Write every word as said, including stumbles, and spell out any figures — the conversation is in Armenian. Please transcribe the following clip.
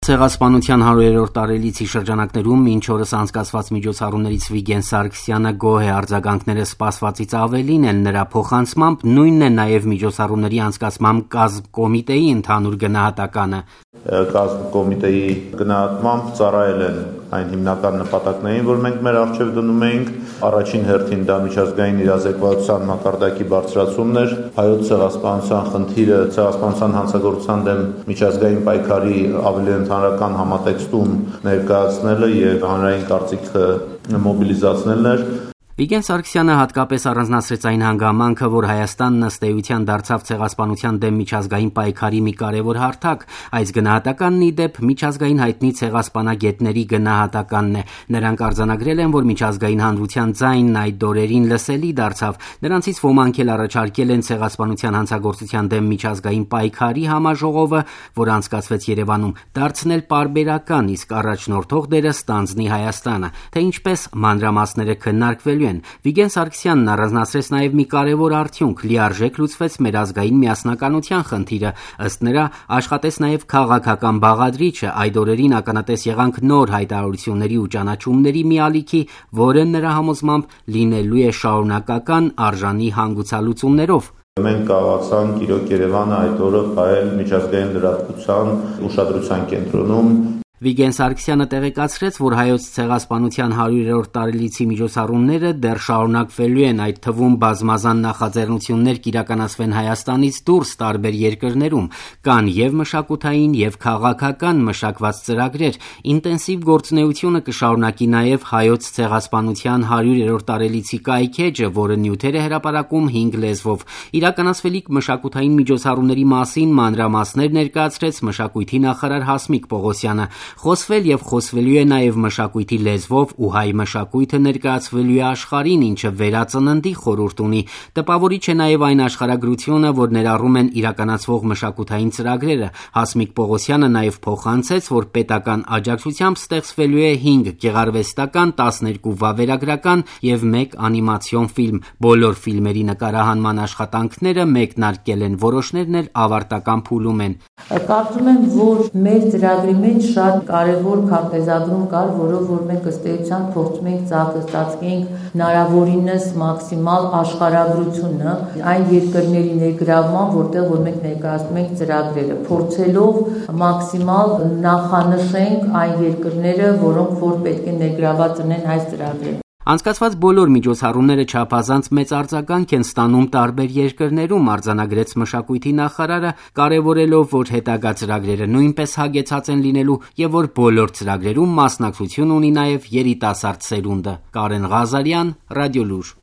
Ցեղասպանության հարյուրերորդ տարելիցի շրջանակներում մինչ օրս անցկացված միջոցառումներից Վիգեն Սարգսյանը գոհ է, արձագանքները սպասվածից ավելին են, նրա փոխանցմամբ նույնն է նաև միջոցառումների անցկացման կազմկոմիտեի ընդհանուր գնահատականը։ Կազմկոմիտեի գնահատմամբ ծառայել են այն հիմնական նպատակներին, որ մենք մեր առջև դնում էինք, առաջին հերթին դա միջազգային իրազեկվածության մակարդակի բարձրացումն էր, հայոց ցեղասպանության խնդիրը ցեղասպանության հանցագործության դեմ միջազգային պայքարի ավելի ընդհանրական համատեքստում ներկայացնելը եւ հանրային կարծիքը մոբիլիզացնելն էր։ Վիգեն Սարգսյանը հատկապես առանձնացրեց այն հանգամանքը, որ Հայաստանն ըստ էության դարձավ ցեղասպանության դեմ միջազգային պայքարի մի կարևոր հարթակ, այս գնահատականն ի դեպ միջազգային հայտնի ցեղասպանագետների գնահատականն է։ Նրանք արձանագրել են, որ միջազգային հանրության ձայնն այդ դորերին լսելի դարձավ, նրանցից ոմանք էլ առաջարկել են ցեղասպանության հանցագործության դեմ միջազգային պայքարի համաժողովը, որ անցկացվեց Երևանում, դարձնել պարբերական, իսկ առաջնորդող դերը ստանձնի Հայաստանը, թե ինչպես մանրամասները քննարկվելու են։ Վիգեն Սարգսյանն առանձնացրեց նաև մի կարևոր արդյունք՝ լիարժեք լուծվեց մեր ազգային միասնականության խնդիրը, ըստ նրա աշխատեց նաև քաղաքական բաղադրիչը, այդ օրերին ականատես եղանք նոր հայտարարությունների ու ճանաչումների մի ալիքի, որը նրա համոզմամբ լինելու է շարունակական արժանի հանգուցալուծումներով։ Մենք կարողացանք իրոք Երևանը այդ օրը պահել միջազգային լրատվության ուշադրության կենտրոնում։ Վիգեն Սարգսյանը տեղեկացրեց, որ հայոց ցեղասպանության հարյուրերորդ տարելիցի միջոցառումները դեռ շարունակվելու են, այդ թվում բազմազան նախաձեռնություններ կիրականացվեն Հայաստանից դուրս տարբեր երկրներում, կան եւ մշակութային եւ քաղաքական մշակված ծրագրեր, ինտենսիվ գործունեությունը կշարունակի նաեւ հայոց ցեղասպանության հարյուրերորդ տարելիցի կայքեջը, որը նյութեր է հրապարակում հինգ լեզվով։ Իրականացվելիք մշակութային միջոցառումների մասին մանրամասներ ներկայացրեց մշակույթի նախարար Հասմիկ Պողոսյանը։ Խոսվել եւ խոսվելու է նաեւ մշակույթի լեզվով ու հայ մշակույթը ներկայացվելու է աշխարհին, ինչը վերածննդի խորհուրդ ունի։ Տպավորիչ է նաեւ այն աշխարհագրությունը, որ ներառում են իրականացվող մշակութային ծրագրերը։ Հասմիկ Պողոսյանը նաեւ փոխանցեց, որ պետական աջակցությամբ ստեղծվելու է հինգ գեղարվեստական, տասներկու վավերագրական եւ մեկ անիմացիոն ֆիլմ։ Բոլոր ֆիլմերի նկարահանման աշխատանքները մեկնարկել են, որոշներն էլ ավարտական փուլում են։ Կարծում եմ, որ մեր ծրագրի մեջ շատ կարևոր քարտեզագրում կար, որով որ մենք ըստ էության փորձում ենք ծածկենք հնարավորինս մաքսիմալ աշխարհագրությունը այն երկրների ներգրավման, որտեղ որ մենք ներկայացնում ենք ծրագրերը, փորձելով մաքսիմալ նախանշենք այն երկրները, որոնք որ պետք է ներգրաված ունեն այս ծրագրերում։ Անցկացված բոլոր միջոցառումները չափազանց մեծ արձագանք են ստանում տարբեր երկրներում, արձանագրեց մշակույթի նախարարը, կարևորելով, որ հետագա ծրագրերը նույնպես հագեցած են լինելու եւ որ բոլոր ծրագրերում մասնակցություն ունի նաեւ երիտասարդ սերունդը։ Կարեն Ղազարյան, Ռադիոլուր։